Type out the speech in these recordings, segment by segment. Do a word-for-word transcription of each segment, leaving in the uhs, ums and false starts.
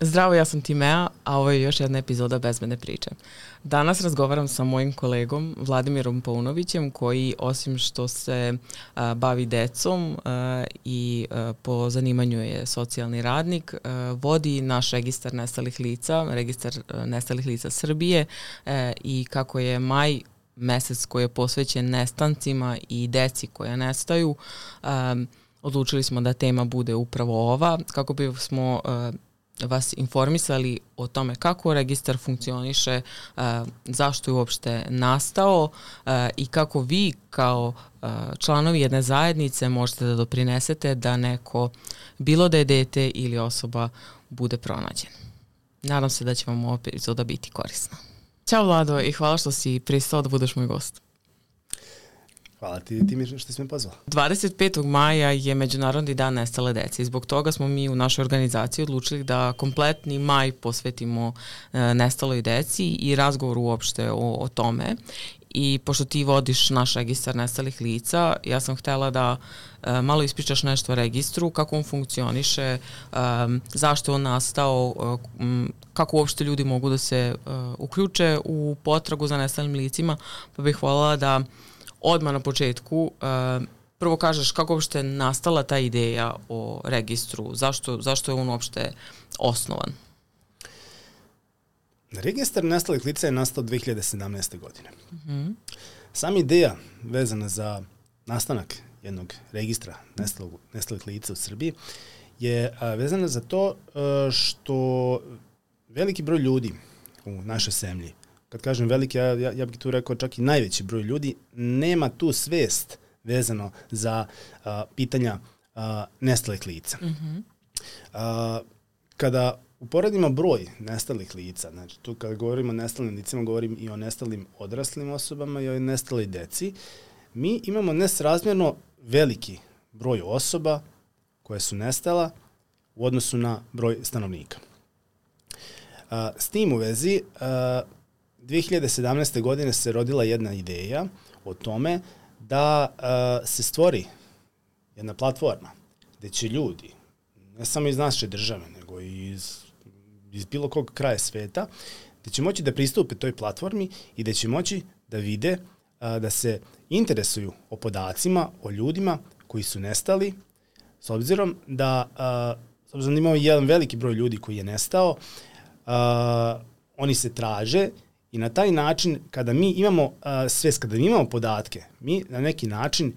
Zdravo, ja sam Timea, a ovo je još jedna epizoda Bezbedne priče. Danas razgovaram sa mojim kolegom Vladimirom Paunovićem, koji osim što se a, bavi decom a, i a, po zanimanju je socijalni radnik, a, vodi naš registar nestalih lica, registar a, nestalih lica Srbije a, i kako je maj mesec koji je posvećen nestancima i deci koja nestaju, a, odlučili smo da tema bude upravo ova, kako bi smo a, vas informisali o tome kako registar funkcioniše, uh, zašto je uopšte nastao uh, i kako vi kao uh, članovi jedne zajednice možete da doprinesete da neko, bilo da je dete ili osoba, bude pronađen. Nadam se da će vam ova epizoda biti korisna. Ćao Vlado i hvala što si pristao da budeš moj gost. Hvala ti, ti mi što si me pozvala. dvadeset petog maja je Međunarodni dan nestale dece i zbog toga smo mi u našoj organizaciji odlučili da kompletni maj posvetimo e, nestaloj deci i razgovoru uopšte o, o tome. I pošto ti vodiš naš registar nestalih lica, ja sam htela da e, malo ispričaš nešto o registru, kako on funkcioniše, e, zašto je on nastao, e, m, kako uopšte ljudi mogu da se e, uključe u potragu za nestalim licima, pa bih voljela da odmah na početku uh, prvo kažeš kako uopšte nastala ta ideja o registru, zašto, zašto je on uopšte osnovan? Registar nestalih lica je nastao dve hiljade sedamnaeste. godine. Mm-hmm. Sama ideja vezana za nastanak jednog registra nestalog, nestalih lica u Srbiji je a, vezana za to a, što veliki broj ljudi u našoj zemlji, kad kažem veliki, ja, ja, ja bih tu rekao čak i najveći broj ljudi, nema tu svest vezano za uh, pitanja uh, nestalih lica. Mm-hmm. Uh, kada uporedimo broj nestalih lica, znači tu kada govorimo o nestalim licima, govorim i o nestalim odraslim osobama i o nestaloj deci, mi imamo nesrazmjerno veliki broj osoba koje su nestala u odnosu na broj stanovnika. Uh, s tim u vezi, uh, dve hiljade sedamnaeste. godine se rodila jedna ideja o tome da uh, se stvori jedna platforma gde će ljudi, ne samo iz naše države, nego i iz, iz bilo kog kraja sveta, gde će moći da pristupe toj platformi i da će moći da vide, uh, da se interesuju o podacima, o ljudima koji su nestali, s obzirom da, uh, s obzirom da imamo jedan veliki broj ljudi koji je nestao, uh, oni se traže. I na taj način, kada mi imamo uh, svest, kada mi imamo podatke, mi na neki način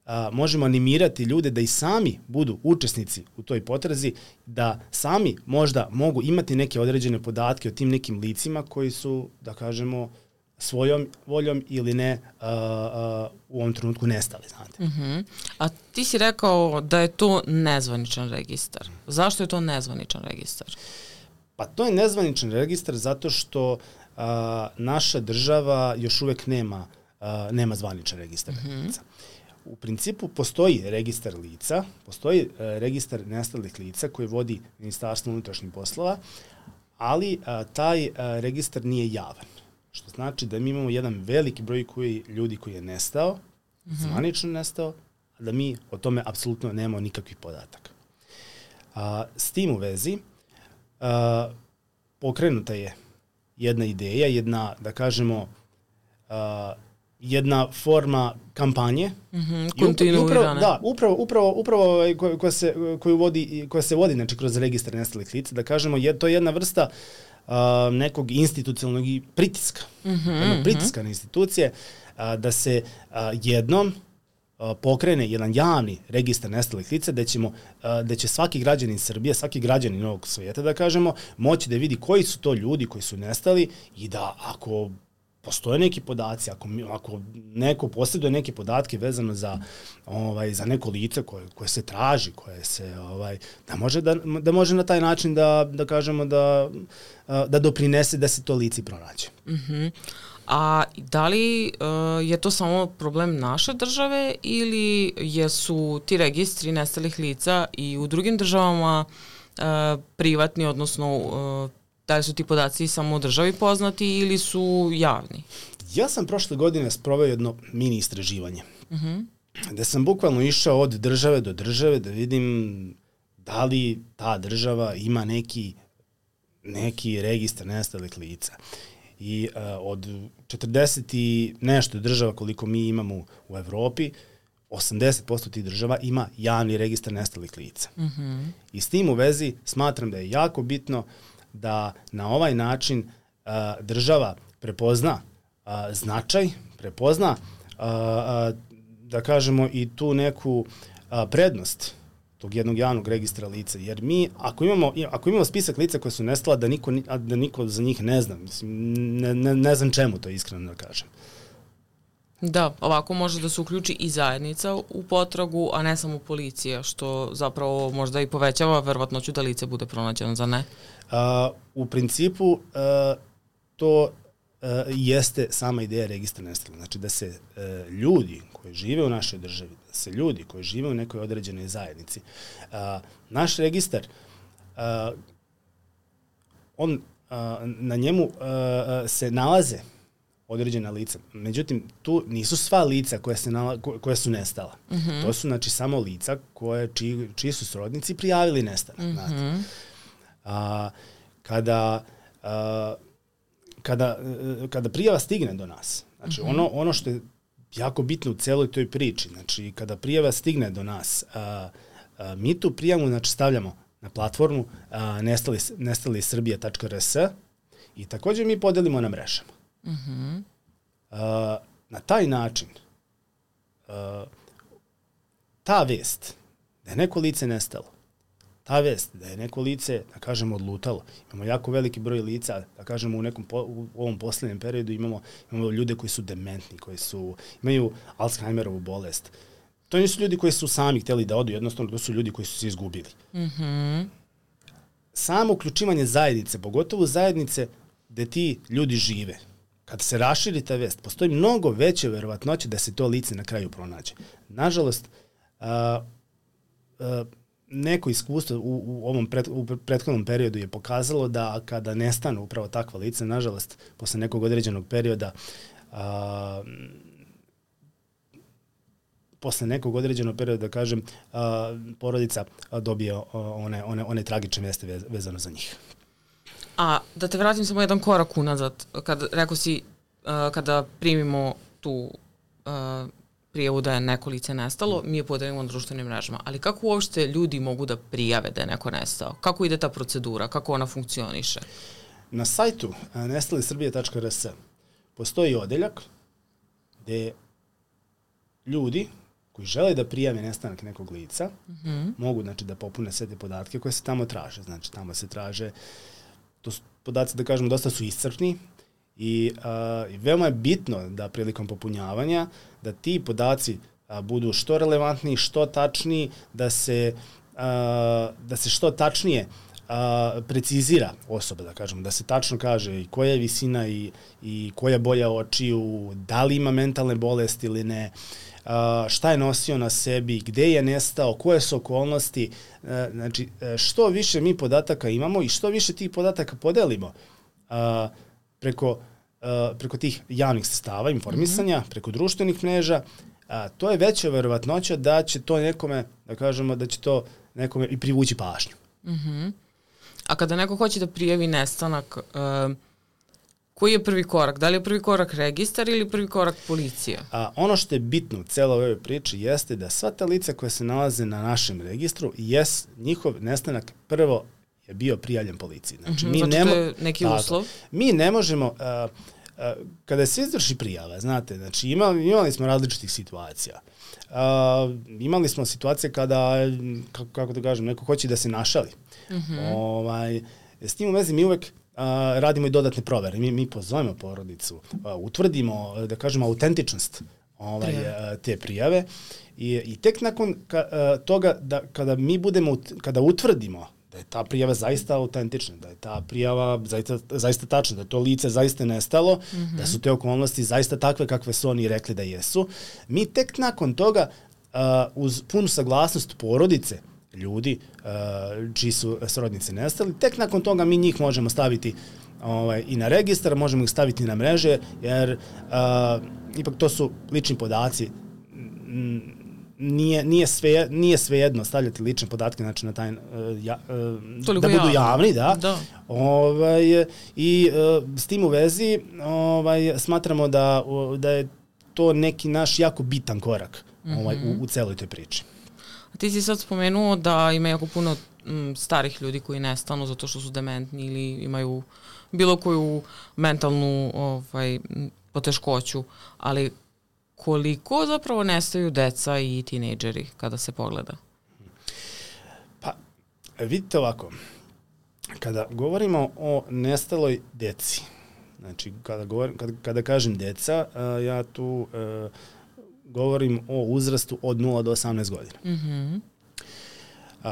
uh, možemo animirati ljude da i sami budu učesnici u toj potrazi, da sami možda mogu imati neke određene podatke o tim nekim licima koji su, da kažemo, svojom voljom ili ne uh, uh, u ovom trenutku nestali, znate. Mm-hmm. A ti si rekao da je to nezvaničan registar. Zašto je to nezvaničan registar? Pa to je nezvaničan registar zato što Uh, naša država još uvek nema, uh, nema zvaničan registar mm-hmm. lica. U principu postoji registar lica, postoji uh, registar nestalih lica koji vodi Ministarstvo unutrašnjih poslova, ali uh, taj uh, registar nije javan. Što znači da mi imamo jedan veliki broj koji, ljudi koji je nestao, mm-hmm. zvanično nestao, a da mi o tome apsolutno nemamo nikakvih podataka. Uh, s tim u vezi uh, pokrenuta je jedna ideja, jedna, da kažemo, uh, jedna forma kampanje. Mm-hmm, kontinuirane. Da, upravo, upravo, upravo koja, koja, se, koju vodi, koja se vodi znači, kroz registar nestalih lica, da kažemo, je, to je jedna vrsta uh, nekog institucionalnog pritiska. Mm-hmm, jedna pritiska na institucije, uh, da se uh, jednom pokrene jedan javni registar nestalih lica gde ćemo, gde će svaki građanin Srbije, svaki građanin ovog svijeta, da kažemo, moći da vidi koji su to ljudi koji su nestali i da ako postoje neki podaci, ako, ako neko posjeduje neke podatke vezano za, ovaj, za neko lice koje, koje se traži, koje se, ovaj, da, može da, da može na taj način da, da kažemo da, da doprinese da se to lice pronađe. Mm-hmm. A da li uh, je to samo problem naše države ili jesu ti registri nestalih lica i u drugim državama uh, privatni, odnosno uh, da li su ti podaci samo u državi poznati ili su javni? Ja sam prošle godine sproveo jedno mini istraživanje. Uh-huh. Gde sam bukvalno išao od države do države da vidim da li ta država ima neki neki registar nestalih lica. I uh, od četrdeset i nešto država koliko mi imamo u Evropi, osamdeset posto tih država ima javni registar nestalih lica. Mm-hmm. I s tim u vezi smatram da je jako bitno da na ovaj način uh, država prepozna uh, značaj, prepozna uh, uh, da kažemo i tu neku uh, prednost tog jednog javnog registra lica. Jer mi, ako imamo, ako imamo spisak lica koje su nestala, da niko, da niko za njih ne zna. Mislim, ne, ne, ne znam čemu to iskreno da kažem. Da, ovako može da se uključi i zajednica u potragu, a ne samo policija, što zapravo možda i povećava verovatnoću da lice bude pronađeno, za ne? Uh, u principu uh, to uh, jeste sama ideja registra nestalih. Znači da se uh, ljudi koji žive u našoj državi, da se ljudi koji žive u nekoj određenoj zajednici, uh, naš registar, uh, on, uh, na njemu uh, se nalaze određena lica. Međutim, tu nisu sva lica koja, se nala, koja su nestala. Mm-hmm. To su znači samo lica koje, čiji, čiji su srodnici prijavili nestanak. Mm-hmm. Znate. A, kada, a, kada, kada prijava stigne do nas, znači mm-hmm. ono, ono što je jako bitno u celoj toj priči, znači kada prijava stigne do nas, a, a, mi tu prijavu znači, stavljamo na platformu a, nestali, nestali srbija tačka er es i također mi podelimo na mrežama. Mm-hmm. Uh, na taj način uh, ta vest da je neko lice nestalo, ta vest da je neko lice, da kažemo, odlutalo, imamo jako veliki broj lica, da kažemo u nekom po, u ovom posljednjem periodu imamo, imamo ljude koji su dementni, koji su, imaju Alzheimerovu bolest. To nisu ljudi koji su sami htjeli da odu, jednostavno to su ljudi koji su se izgubili. Mm-hmm. Samo uključivanje zajednice, pogotovo zajednice gde ti ljudi žive, kad se raširi ta vest, postoji mnogo veće verovatnoće da se to lice na kraju pronađe. Nažalost, uh, uh, neko iskustvo u, u ovom pret, u prethodnom periodu je pokazalo da kada nestanu upravo takva lica, nažalost, posle nekog određenog perioda, uh, posle nekog određenog perioda, da kažem, uh, porodica dobije uh, one, one, one tragične veste vezano za njih. A da te vratim samo jedan korak unazad, kad rekao si uh, kada primimo tu uh, prijavu da je neko lice nestalo, mi je podelimo na društvenim mrežama. Ali kako uopšte ljudi mogu da prijave da je neko nestao? Kako ide ta procedura? Kako ona funkcioniše? Na sajtu uh, nestali srbija tačka er es postoji odeljak gde ljudi koji žele da prijave nestanak nekog lica mm-hmm. mogu znači, da popune sve te podatke koje se tamo traže. Znači tamo se traže, to su podaci, da kažemo, dosta su iscrpni i, a, i veoma je bitno da prilikom popunjavanja da ti podaci a, budu što relevantniji, što tačniji, da se, a, da se što tačnije a, precizira osoba, da kažemo, da se tačno kaže i koja je visina i, i koja boja očiju, da li ima mentalne bolesti ili ne, Uh, šta je nosio na sebi, gde je nestao, koje su okolnosti. Uh, znači, što više mi podataka imamo i što više tih podataka podelimo uh, preko, uh, preko tih javnih sredstava informisanja, mm-hmm. preko društvenih mreža, uh, to je veća verovatnoća da će to nekome, da kažemo, da će to nekome i privući pažnju. Mm-hmm. A kada neko hoće da prijavi nestanak, uh, koji je prvi korak? Da li je prvi korak registar ili prvi korak policija? A, ono što je bitno u celoj ovoj priči jeste da sva ta lica koja se nalaze na našem registru, jes, njihov nestanak prvo je bio prijavljen policiji. Znači, mm-hmm, mi znači nemo, to je neki tako, uslov? Mi ne možemo, a, a, kada se izvrši prijava, znate, znači imali, imali smo različitih situacija. A, imali smo situacije kada, kako, kako da kažem, neko hoće da se našali. Mm-hmm. Ovaj, s tim u vezi mi uvek Uh, radimo i dodatne provere. Mi, mi pozovemo porodicu, uh, utvrdimo, da kažemo, autentičnost ovaj, uh, te prijave i, i tek nakon ka, uh, toga da kada mi budemo, kada utvrdimo da je ta prijava zaista autentična, da je ta prijava zaista, zaista tačna, da je to lice zaista nestalo, mm-hmm. da su te okolnosti zaista takve kakve su oni rekli da jesu, mi tek nakon toga uh, uz punu saglasnost porodice ljudi uh, čiji su srodnice nestali, tek nakon toga mi njih možemo staviti ovaj, i na registar, možemo ih staviti na mreže, jer uh, ipak to su lični podaci. nije, nije, sve, nije svejedno stavljati lične podatke, znači na taj, uh, ja, uh, da budu javno. javni, da. da. Ovaj, i uh, s tim u vezi ovaj, smatramo da, da je to neki naš jako bitan korak mm-hmm. ovaj, u, u celoj toj priči. A ti si sad spomenuo da ima jako puno m, starih ljudi koji nestanu zato što su dementni ili imaju bilo koju mentalnu ovaj, poteškoću, ali koliko zapravo nestaju deca i tinejdžeri kada se pogleda? Pa, vidite ovako, kada govorimo o nestaloj deci, znači kada, govorim, kada, kada kažem deca, uh, ja tu uh, govorim o uzrastu od nula do osamnaest godina. Mm-hmm. Uh,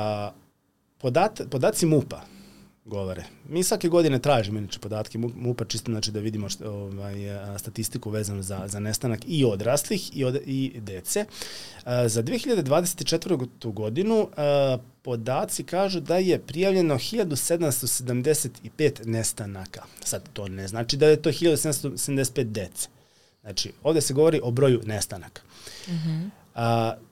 podat, podaci MUP-a govore. Mi svake godine tražimo inače podatke MUP-a čisto znači da vidimo što, ovaj, statistiku vezanu za, za nestanak i odraslih i, od, i dece. Uh, za dve hiljade dvadeset četvrtu godinu uh, podaci kažu da je prijavljeno hiljadu sedamsto sedamdeset pet nestanaka. Sad to ne znači da je to hiljadu sedamsto sedamdeset pet dece. Znači ovde se govori o broju nestanaka. Mm-hmm. Uh,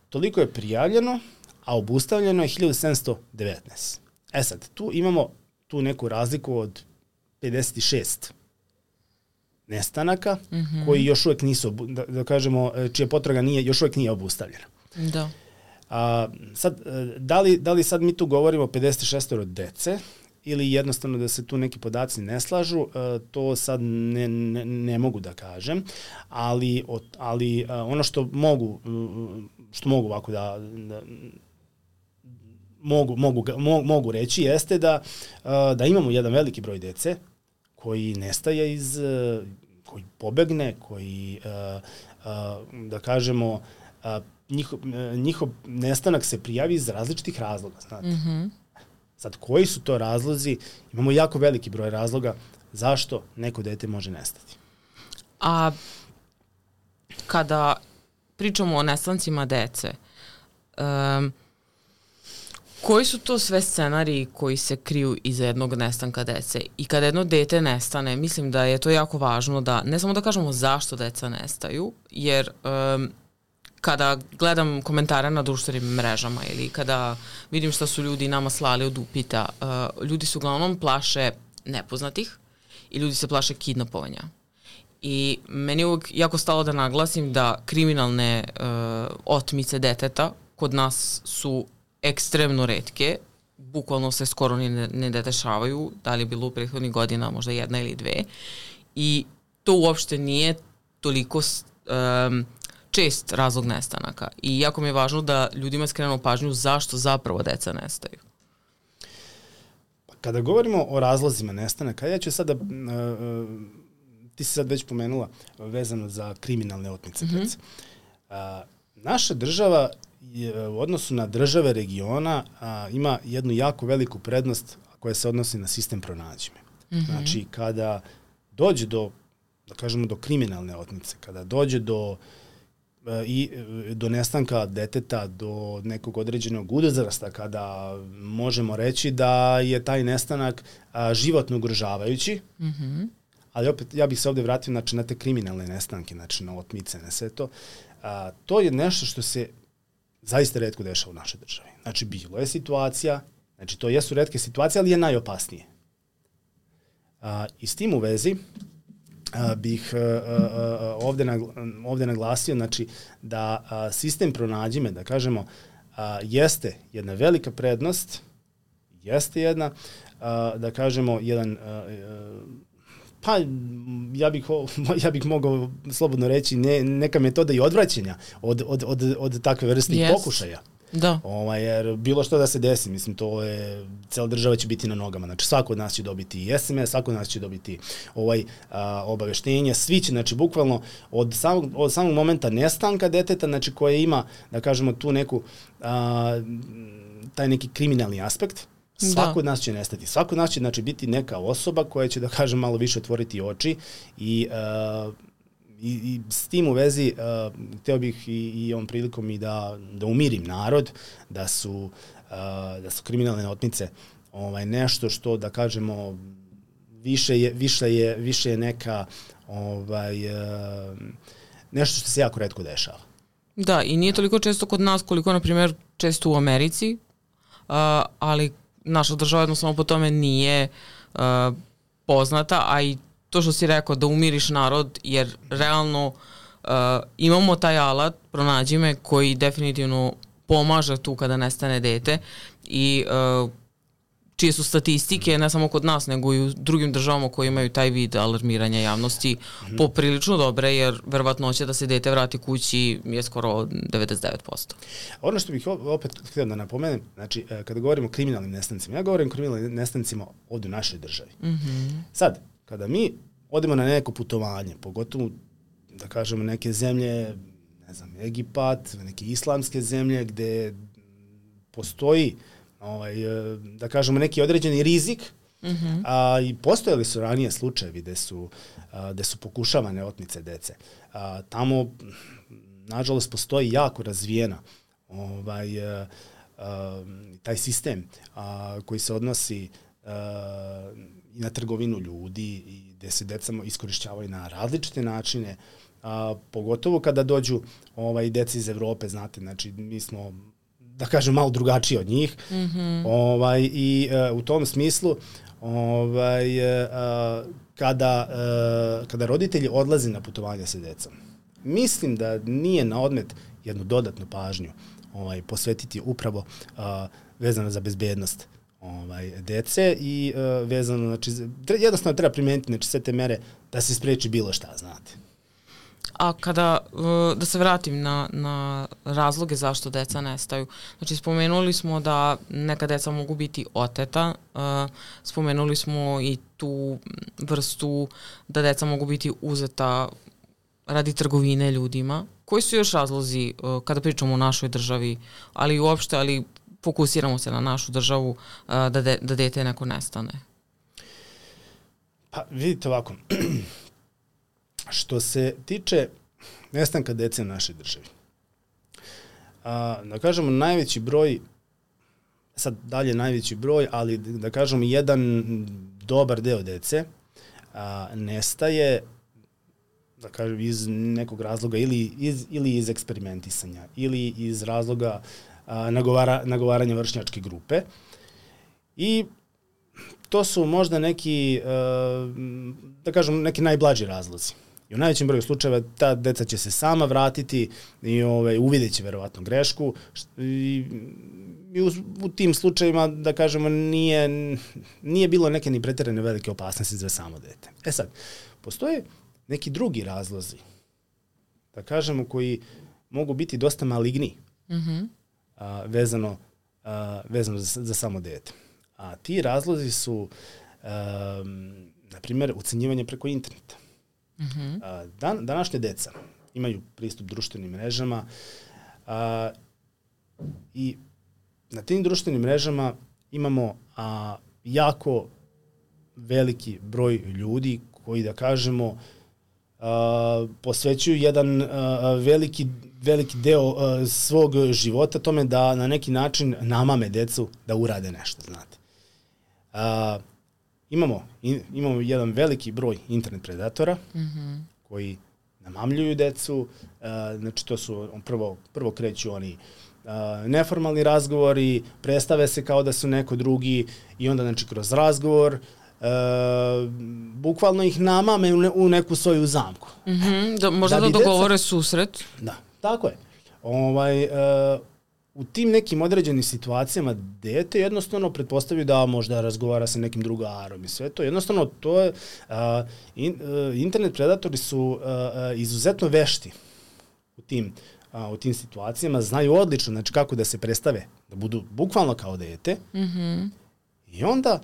toliko je prijavljeno, a obustavljeno je hiljadu sedamsto devetnaest. E sad, tu imamo tu neku razliku od pedeset šest nestanaka mm-hmm. koji još uvek nisu, da, da kažemo, čija potraga nije, još uvek nije obustavljena. Da. A, sad, da li, da li sad mi tu govorimo o pedeset šest dece ili jednostavno da se tu neki podaci ne slažu, to sad ne, ne, ne mogu da kažem, ali, ali ono što mogu, što mogu ovako da, da Mogu, mogu, mogu reći jeste da, da imamo jedan veliki broj dece koji nestaje iz, koji pobegne, koji, da kažemo, njihov, njihov nestanak se prijavi iz različitih razloga. Znate. Mm-hmm. Sad, koji su to razlozi? Imamo jako veliki broj razloga zašto neko dete može nestati. A kada pričamo o nestancima dece, um, koji su to sve scenariji koji se kriju iza jednog nestanka dece? I kada jedno dete nestane, mislim da je to jako važno da ne samo da kažemo zašto deca nestaju, jer um, kada gledam komentare na društvenim mrežama ili kada vidim šta su ljudi nama slali od upita, uh, ljudi se uglavnom plaše nepoznatih i ljudi se plaše kidnapovanja. I meni je uvijek jako stalo da naglasim da kriminalne uh, otmice deteta kod nas su ekstremno retke, bukvalno se skoro ni ne, ne dešavaju, da li je bilo u prethodnih godina možda jedna ili dve, i to uopšte nije toliko um, čest razlog nestanaka. I jako mi je važno da ljudima skrenu pažnju zašto zapravo deca nestaju. Kada govorimo o razlozima nestanaka, ja ću sada, uh, uh, ti si sad već pomenula vezano za kriminalne otmice mm-hmm. dece. Uh, naša država je, u odnosu na države regiona a, ima jednu jako veliku prednost koja se odnosi na sistem pronađime. Mm-hmm. Znači, kada dođe do, da kažemo, do kriminalne otmice, kada dođe do, a, i, do nestanka deteta, do nekog određenog uzrasta, kada možemo reći da je taj nestanak a, životno ugrožavajući, mm-hmm. ali opet ja bih se ovde vratio znači, na te kriminalne nestanke, znači na otmice, na sve to. A, to je nešto što se zaista retko dešava u našoj državi. Znači, bilo je situacija, znači to jesu retke situacije, ali je najopasnije. A, I s tim u vezi a, bih a, a, ovde, nagla, ovde naglasio znači, da a, sistem pronađime, da kažemo, a, jeste jedna velika prednost, jeste jedna, a, da kažemo, jedan a, a, pa ja bih, ja bih mogao slobodno reći ne, neka metoda i odvraćanja od, od, od, od takve vrste yes. pokušaja. Da. Ovaj, jer bilo što da se desi, mislim, to je, cela država će biti na nogama, znači svako od nas će dobiti es em es, svako od nas će dobiti ovaj, a, obaveštenje, svi će, znači bukvalno od samog, od samog momenta nestanka deteta, znači koje ima, da kažemo, tu neku, a, taj neki kriminalni aspekt, svako da. od nas će nestati. Svako od nas će znači, biti neka osoba koja će, da kažem, malo više otvoriti oči i, uh, i, i s tim u vezi uh, hteo bih i, i ovom prilikom i da, da umirim narod, da su, uh, da su kriminalne otmice ovaj, nešto što, da kažemo, više je, više je, više je neka ovaj, uh, nešto što se jako retko dešava. Da, i nije toliko često kod nas koliko, na primjer, često u Americi, uh, ali naša država jednostavno po tome nije uh, poznata, a i to što si rekao da umiriš narod, jer realno uh, imamo taj alat, pronađi me, koji definitivno pomaže tu kada nestane dete i uh, čije su statistike, ne samo kod nas, nego i u drugim državama koji imaju taj vid alarmiranja javnosti mm-hmm. poprilično dobre, jer verovatnoća da se dete vrati kući je skoro devedeset devet posto. Ono što bih opet htio da napomenem, znači, kada govorimo o kriminalnim nestancima, ja govorim o kriminalnim nestancima ovdje u našoj državi. Mm-hmm. Sad, kada mi odemo na neko putovanje, pogotovo, da kažemo, neke zemlje, ne znam, Egipat, neke islamske zemlje gde postoji ovaj, da kažemo, neki određeni rizik, mm-hmm. a i postojali su ranije slučajevi gde su, a, gde su pokušavane otmice dece. A, tamo, nažalost, postoji jako razvijena ovaj, a, a, taj sistem a, koji se odnosi a, i na trgovinu ljudi i gde se deca iskorišćavaju na različite načine, a, pogotovo kada dođu ovaj, deca iz Evrope, znate, znači mi smo, da kažem, malo drugačiji od njih. Mm-hmm. Ovaj, i uh, u tom smislu ovaj, uh, kada, uh, kada roditelji odlaze na putovanje sa decom, mislim da nije na odmet jednu dodatnu pažnju ovaj, posvetiti upravo uh, vezano za bezbednost ovaj, dece i uh, vezano, znači, jednostavno treba primijeniti, znači, sve te mere da se spreči bilo šta, znate. A kada, da se vratim na, na razloge zašto deca nestaju, znači spomenuli smo da neka deca mogu biti oteta, spomenuli smo i tu vrstu da deca mogu biti uzeta radi trgovine ljudima. Koji su još razlozi kada pričamo o našoj državi, ali uopšte, ali fokusiramo se na našu državu, da, de, da dete neko nestane? Pa vidite ovako, što se tiče nestanka dece u našoj državi, a, da kažemo najveći broj, sad dalje najveći broj, ali da kažemo jedan dobar deo dece a, nestaje, da kažem, iz nekog razloga ili iz, ili iz eksperimentisanja ili iz razloga a, nagovara, nagovaranja vršnjačke grupe i to su možda neki, a, da kažem, neki najblaži razlozi. I u najvećem broju slučajeva ta deca će se sama vratiti i ovaj, uvidjet će verovatno grešku i, i u, u tim slučajevima, da kažemo, nije, nije bilo neke ni pretjerane velike opasnosti za samo dete. E sad, postoje neki drugi razlozi, da kažemo, koji mogu biti dosta maligni, mm-hmm. a, vezano, a, vezano za, za samo dete. A ti razlozi su, a, na primjer, ucenjivanje preko interneta. Mm-hmm. Dan, današnje deca imaju pristup društvenim mrežama a, i na tim društvenim mrežama imamo a, jako veliki broj ljudi koji, da kažemo, a, posvećuju jedan a, veliki, veliki deo a, svog života tome da na neki način namame decu da urade nešto, znate. A, Imamo, in, imamo jedan veliki broj internet predatora, mm-hmm. koji namamljuju decu, uh, znači to su, prvo, prvo kreću oni uh, neformalni razgovori, predstave se kao da su neko drugi i onda, znači, kroz razgovor uh, bukvalno ih namame u, ne, u neku svoju zamku. Mm-hmm. Da, možda da, da dogovore deca, susret. Da, tako je. Ovaj, uh, u tim nekim određenim situacijama dete jednostavno pretpostavio da možda razgovara sa nekim drugarom i sve to. Jednostavno to je, uh, in, uh, internet predatori su uh, uh, izuzetno vešti u tim, uh, u tim situacijama, znaju odlično, znači, kako da se predstave, da budu bukvalno kao dete. Mm-hmm. I onda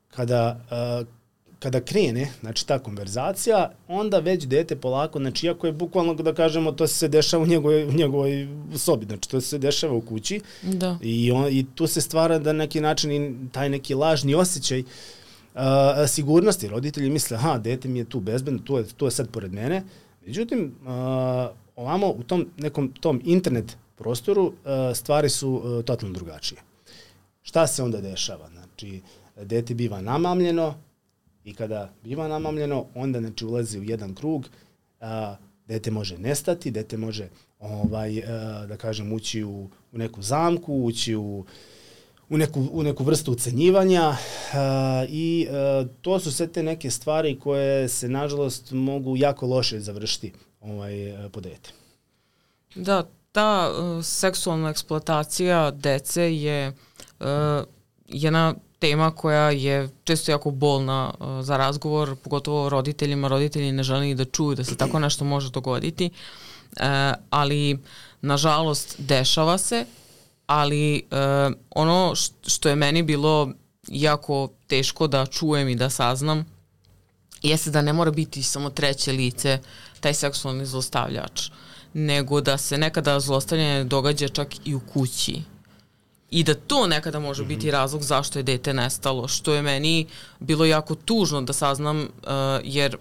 kada uh, kada krene, znači, ta konverzacija, onda već dete polako, znači, iako je bukvalno, da kažemo, to se dešava u njegovoj, u njegovoj sobi, znači, to se dešava u kući. Da. I, on, i tu se stvara da neki način i taj neki lažni osjećaj uh, sigurnosti. Roditelji misle, aha, dete mi je tu bezbedno, to je, to je sad pored mene. Međutim, uh, ovamo u tom nekom tom internet prostoru uh, stvari su uh, totalno drugačije. Šta se onda dešava? Znači, dete biva namamljeno, i kada biva namamljeno, onda, znači, ulazi u jedan krug a, dete može nestati, dete može ovaj, da kažem, ući u, u neku zamku, ući u, u, neku, u neku vrstu ucenjivanja i to su sve te neke stvari koje se, nažalost, mogu jako loše završiti ovaj, po dete. Da, ta uh, seksualna eksploatacija dece je uh, jedna tema koja je često jako bolna uh, za razgovor, pogotovo roditeljima. Roditelji ne žele ni da čuju da se tako nešto može dogoditi, uh, ali nažalost dešava se, ali uh, ono što je meni bilo jako teško da čujem i da saznam jeste da ne mora biti samo treće lice taj seksualni zlostavljač, nego da se nekada zlostavljanje događa čak i u kući. I da to nekada može mm-hmm. biti razlog zašto je dete nestalo, što je meni bilo jako tužno da saznam, uh, jer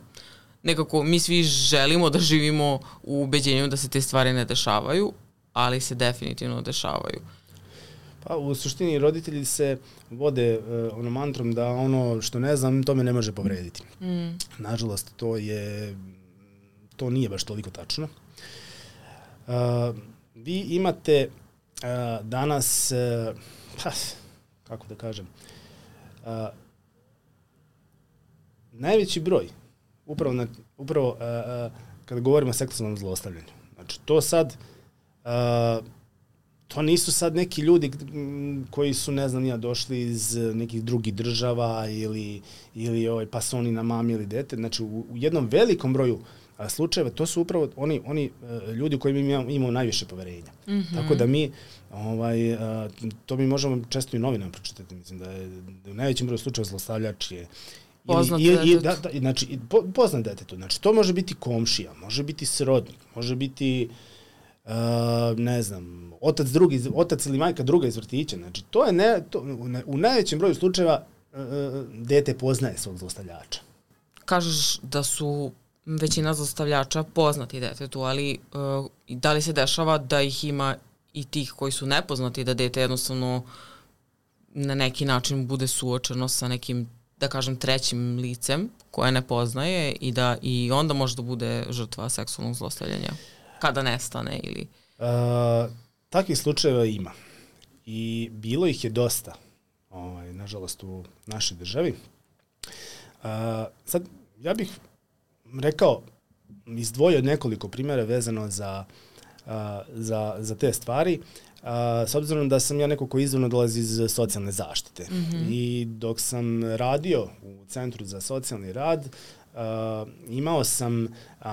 nekako mi svi želimo da živimo u ubeđenju da se te stvari ne dešavaju, ali se definitivno dešavaju. Pa u suštini roditelji se vode uh, ono mantrom da ono što ne znam, to me ne može povrediti. Mm. Nažalost, to je to nije baš toliko tačno. Uh, vi imate uh, danas, uh, pa, kako da kažem, uh, najveći broj, upravo, na, upravo uh, uh, kada govorimo o seksualnom zlostavljanju. Znači, to sad, uh, to nisu sad neki ljudi koji su, ne znam, ja došli iz nekih drugih država ili, ili ovaj, pa su oni namamili dete. Znači, u, u jednom velikom broju a slučajeva, to su upravo oni, oni uh, ljudi koji imamo, imamo najviše poverenja. Mm-hmm. Tako da mi, ovaj, uh, to mi možemo često i novinama pročitati, mislim da je, da u najvećem broju slučajeva zlostavljač je poznat detetu. Da, da, znači, po, poznat detetu. Znači, to može biti komšija, može biti srodnik, može biti, uh, ne znam, otac, drugi, otac ili majka druga iz vrtića. Znači, to je ne, to, u, ne, u najvećem broju slučajeva uh, dete poznaje svog zlostavljača. Kažeš da su većina zlostavljača poznati detetu, ali uh, da li se dešava da ih ima i tih koji su nepoznati, da dete jednostavno na neki način bude suočeno sa nekim, da kažem, trećim licem koje ne poznaje i da i onda može da bude žrtva seksualnog zlostavljanja kada nestane ili... Uh, takvih slučajeva ima i bilo ih je dosta, ovaj, nažalost, u našoj državi. Uh, sad, ja bih rekao, izdvojio nekoliko primjera vezano za, uh, za, za te stvari, uh, s obzirom da sam ja neko ko izvorno dolazi iz socijalne zaštite. Mm-hmm. I dok sam radio u Centru za socijalni rad, uh, imao sam, uh,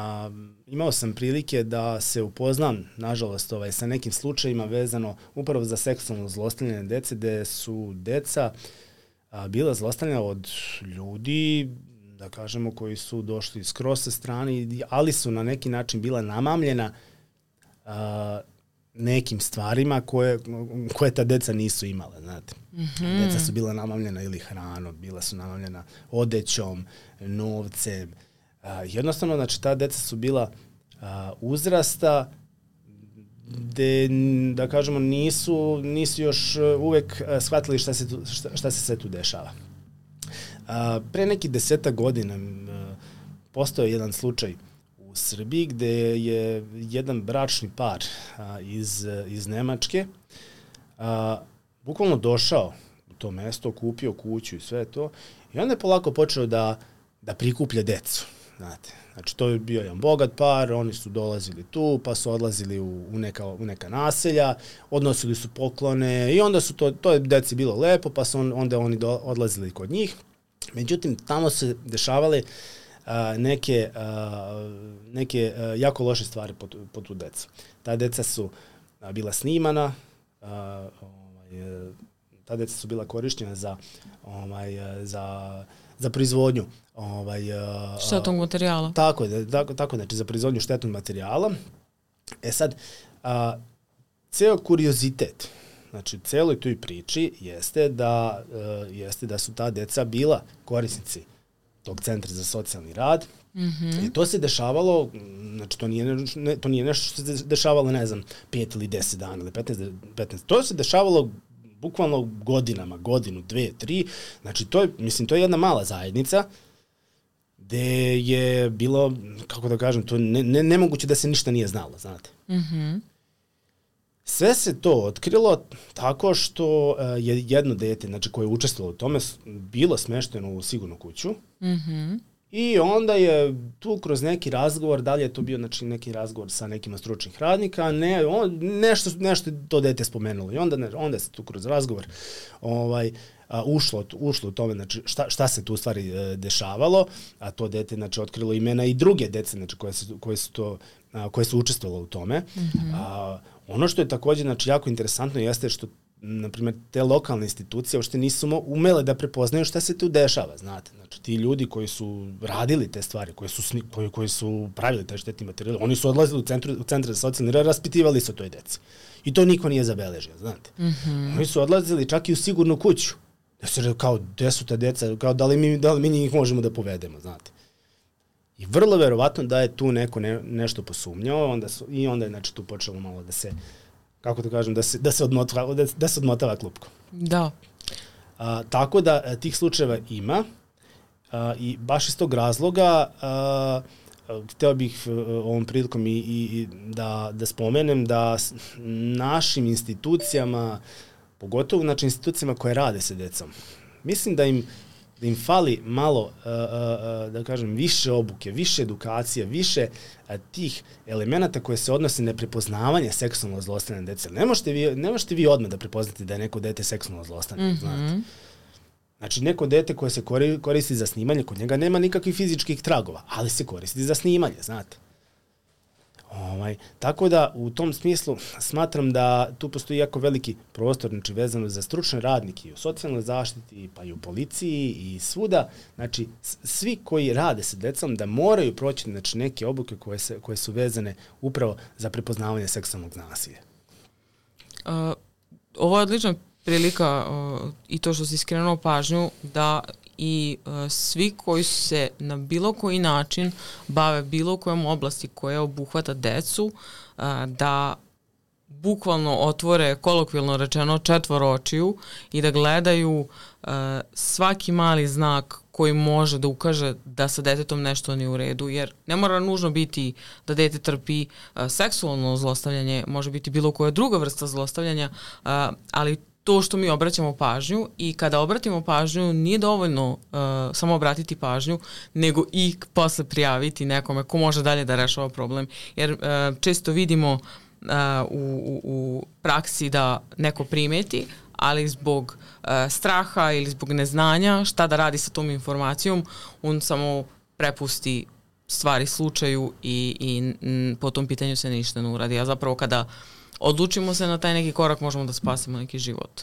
imao sam prilike da se upoznam, nažalost, ovaj, sa nekim slučajima vezano upravo za seksualno zlostavljanje dece, gde su deca uh, bila zlostavljena od ljudi, da kažemo, koji su došli skroz sa strane, ali su na neki način bila namamljena uh, nekim stvarima koje, koje ta deca nisu imala, znate. Mm-hmm. Deca su bila namamljena ili hranom, bila su namamljena odećom, novcem. Uh, jednostavno, znači, ta deca su bila uh, uzrasta gde, da kažemo, nisu, nisu još uvek shvatili šta se, tu, šta, šta se sve tu dešava. Uh, pre nekih deseta godina uh, postao je jedan slučaj u Srbiji gde je jedan bračni par uh, iz, iz Nemačke uh, bukvalno došao u to mesto, kupio kuću i sve to i onda je polako počeo da, da prikuplja decu. Znate. Znači, to je bio jedan bogat par, oni su dolazili tu, pa su odlazili u, u, neka, u neka naselja, odnosili su poklone i onda su to, to je deci bilo lepo, pa su on, onda oni do, odlazili kod njih. Međutim, tamo se dešavale uh, neke, uh, neke uh, jako loše stvari po, po tu decu. Ta deca su uh, bila snimana, uh, ovaj, ta deca su bila korišćena za, ovaj, za, za proizvodnju ovaj, uh, štetnog materijala. Tako je, tako, tako, znači za proizvodnju štetnog materijala. E sad, uh, ceo kuriozitet, znači, celoj toj priči jeste da, uh, jeste da su ta deca bila korisnici tog Centra za socijalni rad. Mm-hmm. I to se dešavalo, znači, to nije, ne, to nije nešto što se dešavalo, ne znam, pet ili deset dana ili petnaest, petnaest. To se dešavalo bukvalno godinama, godinu, dve, tri. Znači, to je, mislim, to je jedna mala zajednica gde je bilo, kako da kažem, to ne, ne, nemoguće da se ništa nije znalo, znate. Mm-hmm. Sve se to otkrilo tako što je jedno dete, znači koje je učestvovalo u tome, bilo smešteno u sigurnu kuću. Mm-hmm. I onda je tu kroz neki razgovor, da li je to bio znači, neki razgovor sa nekim od stručnih radnika, ne, on, nešto, nešto to dete spomenulo. I onda, ne, onda se tu kroz razgovor ovaj, a, ušlo, ušlo u tome znači, šta, šta se tu u stvari e, dešavalo, a to dete znači, otkrilo imena i druge dece znači, koje, su, koje, su to, a, koje su učestvovalo u tome. Mm-hmm. A, ono što je također znači, jako interesantno jeste što na primjer, te lokalne institucije uopšte nisu umele da prepoznaju šta se tu dešava, znate. Znači, ti ljudi koji su radili te stvari, koji su, koji, koji su pravili te štetni materijal, oni su odlazili u, centru, u centre za socijalni rad, raspitivali se o toj deci. I to niko nije zabeležio, znate. Mm-hmm. Oni su odlazili čak i u sigurnu kuću. Da se rekao, kao, gde su ta deca, kao, da li mi, da li mi njih možemo da povedemo, znate. I vrlo verovatno da je tu neko ne, nešto posumnjao, onda su, i onda je znači, tu počelo malo da se kako da kažem, da se, da se, odmotava, da, da se odmotava klupko. Da. A, tako da a, tih slučajeva ima a, i baš iz tog razloga a, a, hteo bih a, ovom prilikom i, i da, da spomenem da s našim institucijama, pogotovo znači institucijama koje rade sa decom, mislim da im da im fali malo, uh, uh, da kažem, više obuke, više edukacije, više uh, tih elemenata koje se odnose na prepoznavanje seksualno zlostavljane dece. Ne možete vi, ne možete vi odmah da prepoznate da je neko dete seksualno zlostavljano, mm-hmm. znate. Znači, neko dete koje se koristi za snimanje, kod njega nema nikakvih fizičkih tragova, ali se koristi za snimanje, znate. Ovaj, tako da, u tom smislu, smatram da tu postoji jako veliki prostor, znači, vezano za stručne radnike i u socijalnoj zaštiti, pa i u policiji i svuda, znači, svi koji rade sa decom da moraju proći, znači, neke obuke koje, se, koje su vezane upravo za prepoznavanje seksualnog nasilja. Uh, ovo je odlična prilika uh, i to što si skrenuo pažnju da i uh, svi koji se na bilo koji način bave bilo kojom oblasti koja obuhvata decu, uh, da bukvalno otvore, kolokvijalno rečeno, četvor očiju i da gledaju uh, svaki mali znak koji može da ukaže da sa detetom nešto nije u redu, jer ne mora nužno biti da dete trpi uh, seksualno zlostavljanje, može biti bilo koja druga vrsta zlostavljanja, uh, ali to što mi obraćamo pažnju i kada obratimo pažnju nije dovoljno uh, samo obratiti pažnju, nego i posle prijaviti nekome ko može dalje da rešava problem. Jer uh, često vidimo uh, u, u praksi da neko primeti, ali zbog uh, straha ili zbog neznanja šta da radi sa tom informacijom, on samo prepusti stvari slučaju i, i m, po tom pitanju se ništa ne uradi. A zapravo kada odlučimo se na taj neki korak, možemo da spasimo neki život.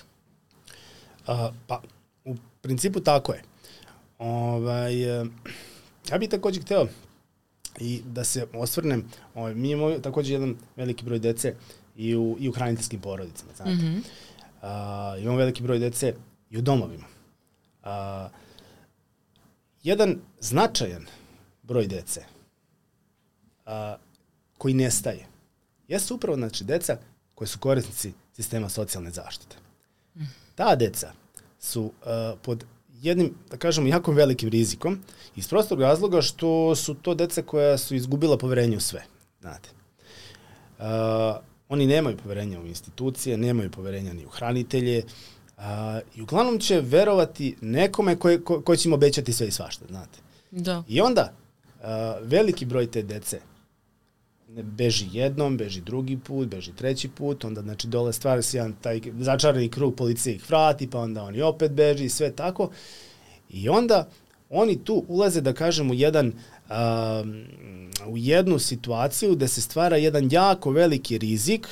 Uh, pa, u principu tako je. Ovaj, uh, ja bih također hteo i da se osvrnem, ovaj, mi imamo također jedan veliki broj dece i u, i u hraniteljskim porodicama, znate. Mm-hmm. Uh, imamo veliki broj dece i u domovima. Uh, jedan značajan broj dece uh, koji nestaje jesu upravo znači, deca koji su korisnici sistema socijalne zaštite. Mm. Ta deca su uh, pod jednim, da kažemo, jako velikim rizikom iz prostog razloga što su to deca koja su izgubila poverenje u sve. Znate. Uh, oni nemaju poverenja u institucije, nemaju poverenja ni u hranitelje uh, i uglavnom će verovati nekome koji ko, ko će im obećati sve i svašta. Znate. Da. I onda uh, veliki broj te dece beži jednom, beži drugi put, beži treći put, onda znači dole stvara se jedan taj začarani krug, policije ih vrati, pa onda oni opet beži i sve tako. I onda oni tu ulaze, da kažem, u, jedan, um, u jednu situaciju da se stvara jedan jako veliki rizik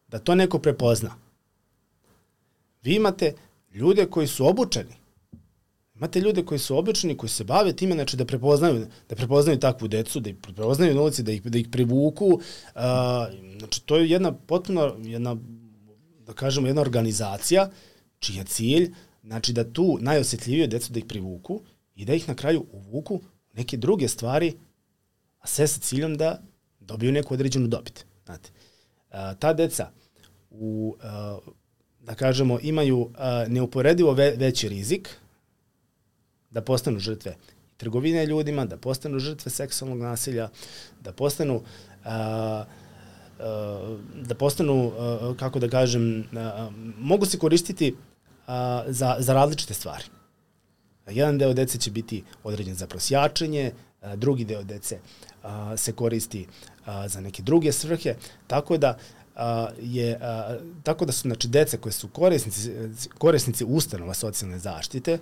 da to neko prepozna. Vi imate ljude koji su obučeni. Imate ljude koji su obični, koji se bave time, znači da prepoznaju, da prepoznaju takvu decu, da ih prepoznaju na ulici, da ih, da ih privuku. Uh, znači, to je jedna potpuno, jedna, da kažemo, jedna organizacija čiji je cilj, znači da tu najosjetljivije decu da ih privuku i da ih na kraju uvuku neke druge stvari, a sve sa ciljom da dobiju neku određenu dobit. Znate, uh, ta deca u, uh, da kažemo, imaju uh, neuporedivo ve, veći rizik da postanu žrtve trgovine ljudima, da postanu žrtve seksualnog nasilja, da postanu a, a, da postanu, a, kako da kažem, a, mogu se koristiti a, za, za različite stvari. Jedan deo dece će biti određen za prosjačenje, a, drugi deo dece a, se koristi a, za neke druge svrhe, tako da a, je a, tako da su znači dece koje su korisnici korisnici ustanova socijalne zaštite.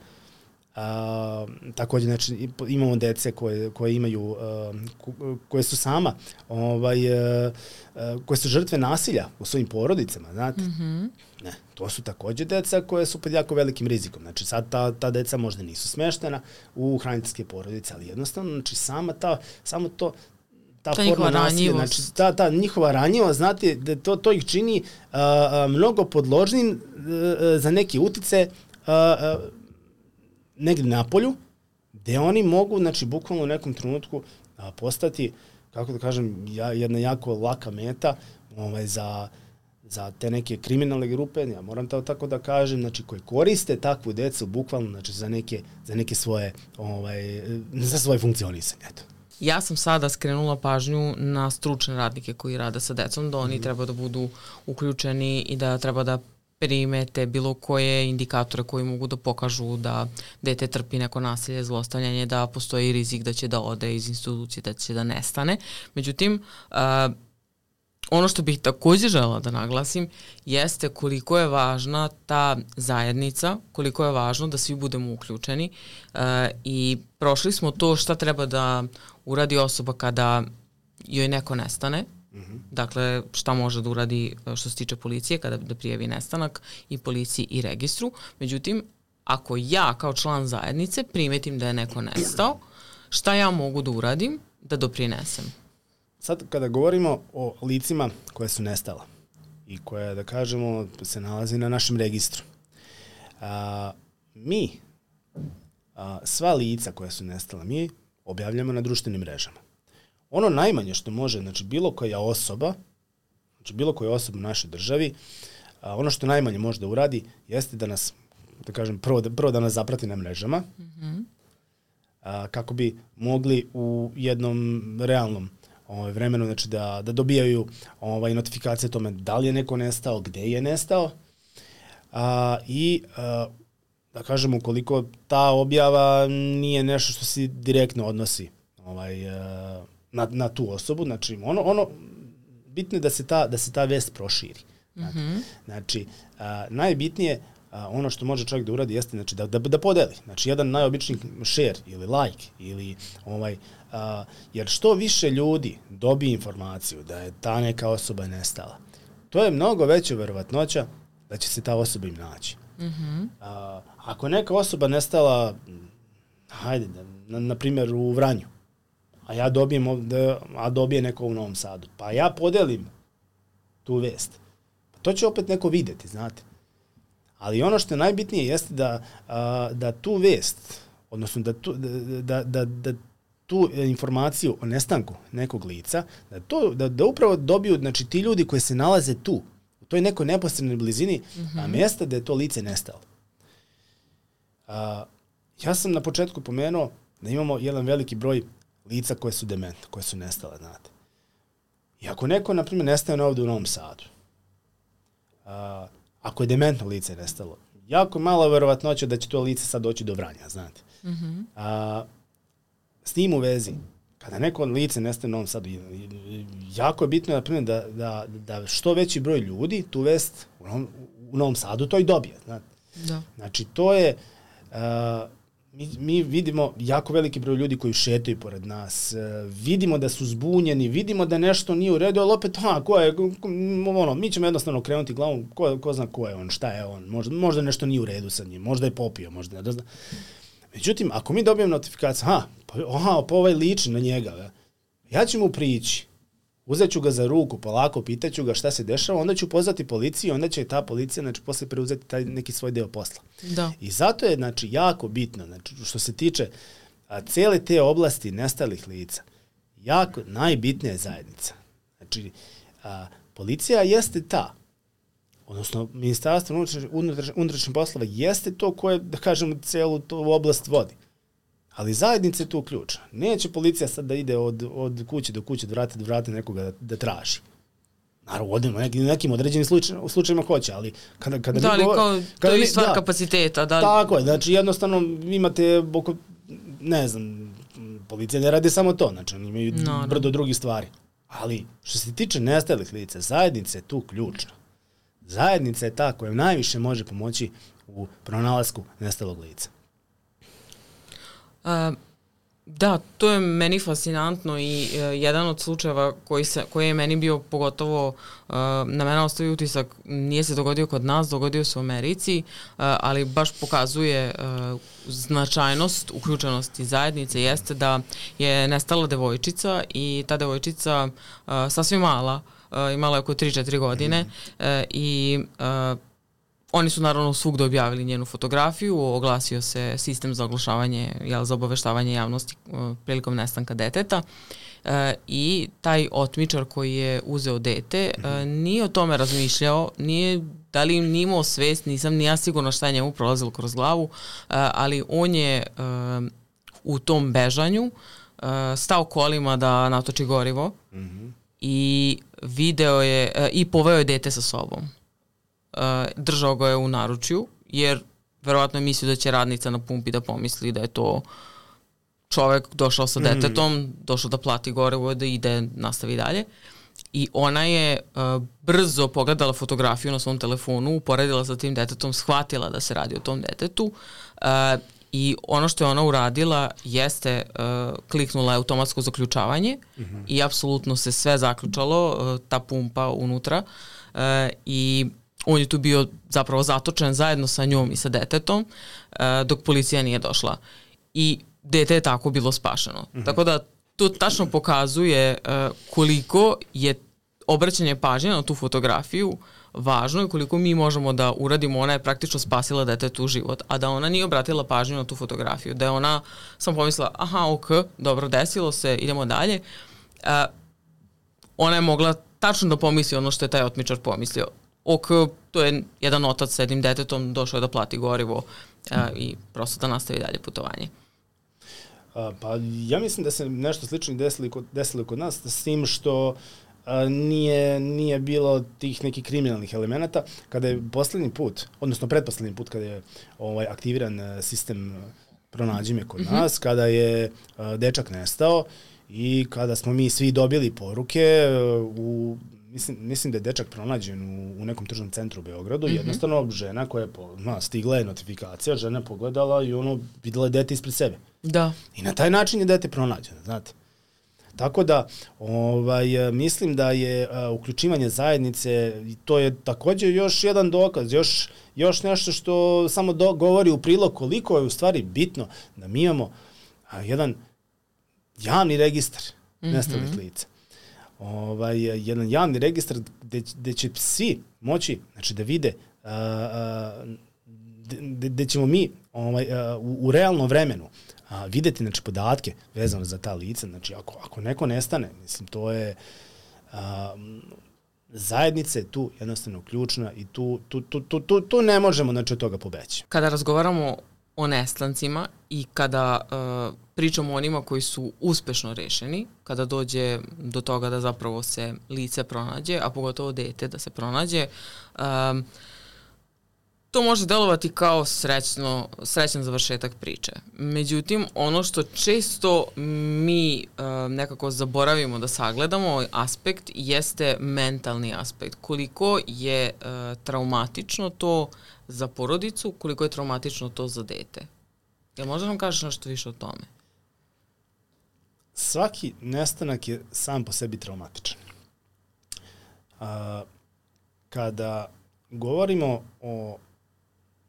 A, također znači imamo dece koje koje imaju a, koje su sama ovaj a, a, koje su žrtve nasilja u svojim porodicama, znate. Mm-hmm. Ne, to su također deca koje su pod jako velikim rizikom. Znači sad ta ta deca možda nisu smeštena u hraniteljske porodice, ali jednostavno znači sama ta samo to ta, ta forma nasilja, znači ta ta njihova ranjivost, znate, da to to ih čini a, a, mnogo podložnim a, za neki utice a, a, negdje na polju, gdje oni mogu, znači, bukvalno u nekom trenutku a, postati, kako da kažem, ja, jedna jako laka meta ovaj, za, za te neke kriminalne grupe, ja moram to tako da kažem, znači, koji koriste takvu decu bukvalno, znači, za neke, za neke svoje, ovaj, za svoje funkcionisanje, eto. Ja sam sada skrenula pažnju na stručne radnike koji rade sa decom, da oni mm. treba da budu uključeni i da treba da primete bilo koje indikatore koji mogu da pokažu da dete trpi neko nasilje, zlostavljanje, da postoji rizik da će da ode iz institucije, da će da nestane. Međutim, uh, ono što bih također žela da naglasim jeste koliko je važna ta zajednica, koliko je važno da svi budemo uključeni uh, i prošli smo to šta treba da uradi osoba kada joj neko nestane. Dakle, šta može da uradi što se tiče policije kada da prijavi nestanak i policiji i registru. Međutim, ako ja kao član zajednice primetim da je neko nestao, šta ja mogu da uradim da doprinesem? Sad, kada govorimo o licima koje su nestala i koje, da kažemo, se nalazi na našem registru, a, mi a, sva lica koja su nestala, mi objavljamo na društvenim mrežama. Ono najmanje što može, znači bilo koja osoba, znači bilo koja osoba u našoj državi, a, ono što najmanje može da uradi jeste da nas, da kažem, prvo da, prvo da nas zaprati na mrežama, mm-hmm. a, kako bi mogli u jednom realnom ovaj, vremenu, znači da, da dobijaju ovaj, notifikacije o tome da li je neko nestao, gde je nestao, a, i a, da kažem, ukoliko ta objava nije nešto što se direktno odnosi ovaj, a, Na, na tu osobu, znači ono ono bitno je da se ta da se ta vest proširi. Mm-hmm. Znači a, najbitnije a, ono što može čovjek da uradi jeste znači da da da podeli. Znači jedan najobičniji share ili like ili ovaj a, jer što više ljudi dobije informaciju da je ta neka osoba nestala, to je mnogo veća verovatnoća da će se ta osoba im naći. Mm-hmm. A, ako neka osoba nestala, hajde, na, na primjer u Vranju, a ja dobijem ovde, a dobije neko u Novom Sadu, pa ja podelim tu vest, pa to će opet neko vidjeti, znate. Ali ono što je najbitnije jeste da, a, da tu vest, odnosno da tu, da, da, da, da tu informaciju o nestanku nekog lica, da, to, da, da upravo dobiju, znači, ti ljudi koji se nalaze tu, u toj nekoj neposrednoj blizini, mm-hmm. a mjesta da je to lice nestalo. A, ja sam na početku pomenuo da imamo jedan veliki broj lica koje su demente, koje su nestale, znate. I ako neko, na primjer, nestane ovdje u Novom Sadu, a, ako je dementno lice nestalo, jako malo verovatnoća da će to lice sad doći do Vranja, znate. Mm-hmm. A, s tim u vezi, kada neko lice nestane u Novom Sadu, jako je bitno, na primjer, da, da, da što veći broj ljudi tu vest u Novom, u Novom Sadu to i dobije, znate. Da. Znači, to je... A, Mi, mi vidimo jako veliki broj ljudi koji šetaju pored nas, vidimo da su zbunjeni, vidimo da nešto nije u redu, ali opet, ha, ko je, ono, mi ćemo jednostavno krenuti glavom, ko, ko zna ko je on, šta je on, možda, možda nešto nije u redu sa njim, možda je popio, možda ne zna. Međutim, ako mi dobijemo notifikaciju, ha, pa, aha, pa ovaj liči na njega, ja ću mu prići, uzet ću ga za ruku, polako, pitaću ga šta se dešava, onda ću pozvati policiju, onda će ta policija, znači, posle preuzeti taj neki svoj deo posla. Da. I zato je, znači, jako bitno, znači, što se tiče a, cele te oblasti nestalih lica, jako najbitnija je zajednica. Znači, a, policija jeste ta, odnosno, Ministarstvo unutrašnjih poslova jeste to koje, da kažemo, celu tu oblast vodi. Ali zajednica je tu ključna. Neće policija sad da ide od, od kuće do kuće, od vrata do vrata nekoga da, da traži. Naravno, odemo, nekim, nekim određenim slučaj, u slučajima hoće, ali kada, kada da, mi govor, kao, kada to je mi, stvar da, kapaciteta. Da. Tako je, znači jednostavno imate oko, ne znam, policija ne radi samo to, znači oni imaju no, brdo no. drugih stvari. Ali što se tiče nestalih lica, zajednica je tu ključna. Zajednica je ta koja najviše može pomoći u pronalasku nestalog lica. Uh, da, to je meni fascinantno i uh, jedan od slučajeva koji, se, koji je meni bio pogotovo, uh, na mene ostavi utisak, nije se dogodio kod nas, dogodio se u Americi, uh, ali baš pokazuje uh, značajnost uključenosti zajednice, jeste da je nestala devojčica i ta devojčica uh, sasvim mala, uh, imala je oko tri četiri godine uh, i uh, oni su naravno svugde objavili njenu fotografiju, oglasio se sistem za oglašavanje, jel, za obaveštavanje javnosti uh, prilikom nestanka deteta uh, i taj otmičar koji je uzeo dete uh, nije o tome razmišljao, nije, da li nije imao svest, nisam ni ja sigurno šta je njemu prolazilo kroz glavu, uh, ali on je uh, u tom bežanju uh, stao kolima da natoči gorivo mm-hmm. i video je uh, i poveo je dete sa sobom. Uh, držao ga je u naručju, jer verovatno je mislio da će radnica na pumpi da pomisli da je to čovek došao sa detetom, mm. došao da plati gorivo, da ide, nastavi dalje. I ona je uh, brzo pogledala fotografiju na svom telefonu, uporedila sa tim detetom, shvatila da se radi o tom detetu uh, i ono što je ona uradila jeste uh, kliknula je automatsko zaključavanje mm-hmm. i apsolutno se sve zaključalo, uh, ta pumpa unutra uh, i on je tu bio zapravo zatočen zajedno sa njom i sa detetom uh, dok policija nije došla. I dete je tako bilo spašeno. Mm-hmm. Tako da to tačno pokazuje uh, koliko je obraćanje pažnje na tu fotografiju važno i koliko mi možemo da uradimo. Ona je praktično spasila detetu život, a da ona nije obratila pažnju na tu fotografiju, da je ona samo pomislila, aha, ok, dobro, desilo se, idemo dalje. Uh, ona je mogla tačno da pomisli ono što je taj otmičar pomislio. Ok, to je jedan otac s jednim detetom, došao je da plati gorivo uh, i prosto da nastavi dalje putovanje. A, pa ja mislim da se nešto slično desilo kod, desilo kod nas, s tim što a, nije, nije bilo tih nekih kriminalnih elemenata. Kada je poslednji put, odnosno pretposlednji put kada je ovaj, aktiviran sistem Pronađi me kod mm-hmm. nas, kada je a, dečak nestao i kada smo mi svi dobili poruke u Mislim, mislim da je dečak pronađen u, u nekom tržnom centru u Beogradu. Mm-hmm. Jednostavno, žena koja je, po, na, stigla je notifikacija, žena je pogledala i ono, videla je dete ispred sebe. Da. I na taj način je dete pronađeno, znate. Tako da, ovaj, mislim da je a, uključivanje zajednice, to je također još jedan dokaz, još, još nešto što samo do, govori u prilog koliko je u stvari bitno da mi imamo a, jedan javni registar mm-hmm. nestalih lica. Ovaj, jedan javni registar gde, gde će svi moći, znači, da vide uh, gde, gde ćemo mi ovaj, uh, u, u realnom vremenu uh, videti, znači, podatke vezano za ta lica. Znači, ako, ako neko nestane, mislim, to je uh, zajednica je tu jednostavno ključna i tu, tu, tu, tu, tu, tu ne možemo, znači, od toga pobeći. Kada razgovaramo o nestancima i kada uh, pričamo o onima koji su uspešno rešeni, kada dođe do toga da zapravo se lice pronađe, a pogotovo dete da se pronađe, um, to može delovati kao srećno, srećan završetak priče. Međutim, ono što često mi uh, nekako zaboravimo da sagledamo, aspekt jeste mentalni aspekt. Koliko je uh, traumatično to za porodicu, koliko je traumatično to za dete. Jel možda nam kažeš nešto više o tome? Svaki nestanak je sam po sebi traumatičan. A, kada govorimo o